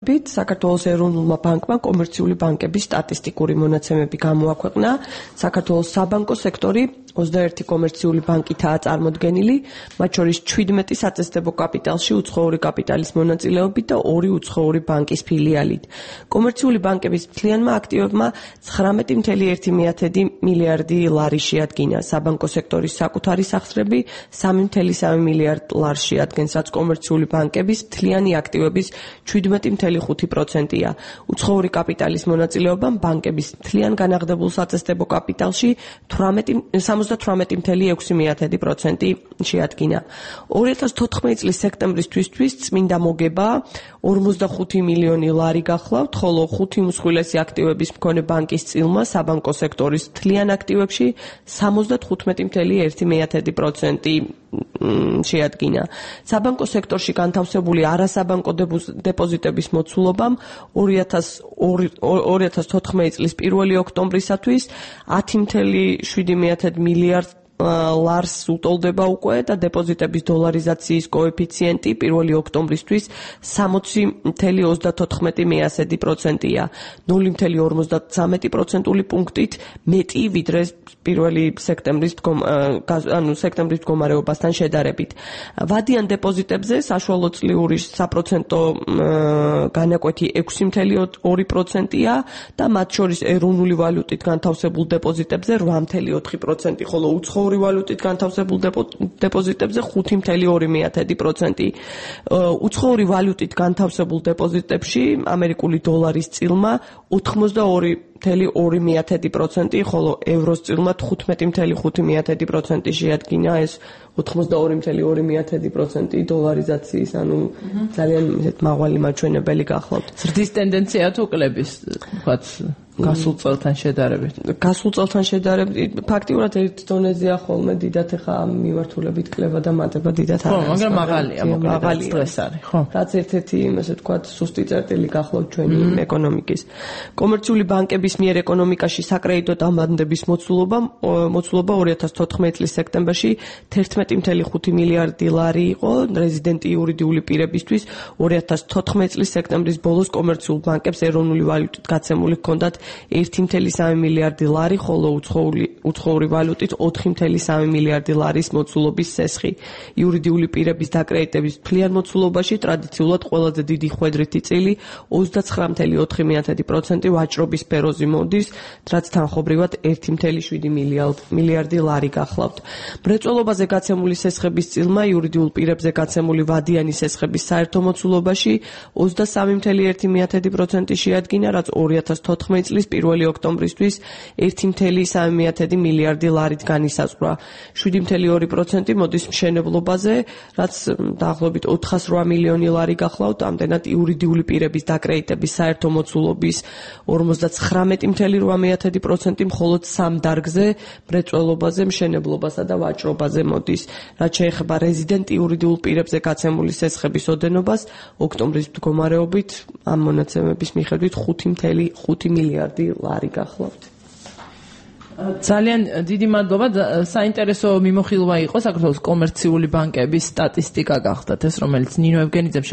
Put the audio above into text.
საქართველოს ეროვნულმა ბანკმა კომერციული ბანკების სტატისტიკური მონაცემები გამოაქვეყნა. საქართველოს საბანკო სექტორი 21 კომერციული ბანკითაა წარმოდგენილი, მათ შორის 17 საწესდებო კაპიტალში უცხოური კაპიტალის მონაწილეობით და 2 უცხოური ბანკის ფილიალით. კომერციული ბანკების მთლიანმა აქტივებმა 19,1 მილიარდი ლარი შეადგინა. საბანკო სექტორის საკუთარი სახსრები 3,3 მილიარდ ლარს შეადგენს, რაც კომერციული ბანკების მთლიანი აქტივების 17,5%-ია. უცხოური კაპიტალის მონაწილეობამ ბანკების მთლიან განაღდებულ საწესდებო კაპიტალში 78,6% შეადგინა. 2014 წლის სექტემბრისთვისთვის წმინდა მოგება 45 მილიონი ლარი გახლავთ, ხოლო 5 უმსხვილესი აქტივების მქონე ბანკის წილმა საბანკო სექტორის მთლიან აქტივებში 75,1% შეადგინა. საბანკო სექტორში განთავსებული არასაბანკო დეპოზიტების მოცულობამ 2014 წლის 1 ოქტომბრისათვის 10,7 მილიარდ ლარს უტოლდება უკვე და დეპოზიტების დოლარიზაციის კოეფიციენტი 1 ოქტომბრისთვის 60,34%-ია, 0,53% პუნქტით მეტი ვიდრე 1 სექტემბრის მდგომარეობასთან შედარებით. ვადიან დეპოზიტებზე საშუალო წლიური საპროცენტო განაკვეთი 6,2%-ია და მათ შორის ეროვნული ვალუტით განთავსებულ დეპოზიტებზე 8,4%, ხოლო უცხოური ვალუტით განთავსებულ დეპოზიტებზე 5,2%. უცხოური ვალუტით განთავსებულ დეპოზიტებში ამერიკული დოლარის წილმა 82,2%, ხოლო ევროს წილმა 15,5% შეადგინა ეს 82,2% დოლარიზაციის, ანუ ძალიან მაღალი მაჩვენებელი გახლავთ. ზრდის ტენდენცია თუ კლების, თქვათ, გასულ წელთან შედარებით. გასულ წელთან შედარებით ფაქტიურად ერთ დონეზეა ხოლმე დიდად ახლა მიმართულებით კლება და მატება დიდად არის. ხო, მაგრამ მაღალია, მოკლედ სტრეს არის, ხო. რაც ერთ-ერთი, ასე ვთქვათ, სუსტი წერტილი გახლავთ ჩვენი ეკონომიკის. კომერციული ბანკების მიერ ეკონომიკაში საკრედიტო დამბანდების მოცულობა 2014 წლის სექტემბერში 11,5 მილიარდი ლარი იყო, რეზიდენტი იურიდიული პირებისთვის 2014 წლის სექტემბრის ბოლოს კომერციულ ბანკებს ეროვნული ვალუტით გაცემული ჰქონდათ 1,3 მილიარდი ლარი, ხოლო უცხოური ვალუტით 4,3 მილიარდი ლარის მოცულობის სესხი. იურიდიული პირების დაკრედიტების მთლიან მოცულობაში ტრადიციულად ყველაზე დიდი ხვედრითი წილი 29,4% ვაჭრობის სფეროზე მოდის, რაც თანხობრივად 1,7 მილიარდი ლარი გახლავთ. მრეწველობაზე გაცემული სესხების წილმა იურიდიულ პირებზე გაცემული ვადიანი სესხების საერთო მოცულობაში 23,1% შეადგინა, რაც 2014 წლის 1 ოქტომბრისთვის 1,3 მილიარდი ლარით განისაზღვრა. 7,2% მოდის მშენებლობაზე, რაც დაახლოებით 408 მილიონი ლარი გახლავთ, ამდენად იურიდიული პირების დაკრედიტების საერთო მოცულობის 59,8%, მხოლოდ 3 დარგზე მრეწველობაზე, მშენებლობასა და ვაჭრობაზე მოდის. რაც შეეხება რეზიდენტ იურიდიულ პირებზე გაცემული სესხების ოდენობას, ოქტომბრის მდგომარეობით ამ მონაცემების მიხედვით 5,5 მილიარდი ლარი გახლავთ. ძალიან დიდი მადლობა. საინტერესო მიმოხილვა იყო საქართველოს კომერციული ბანკების სტატისტიკა გახდათ ეს, რომელიც ნინო ევგენიძემ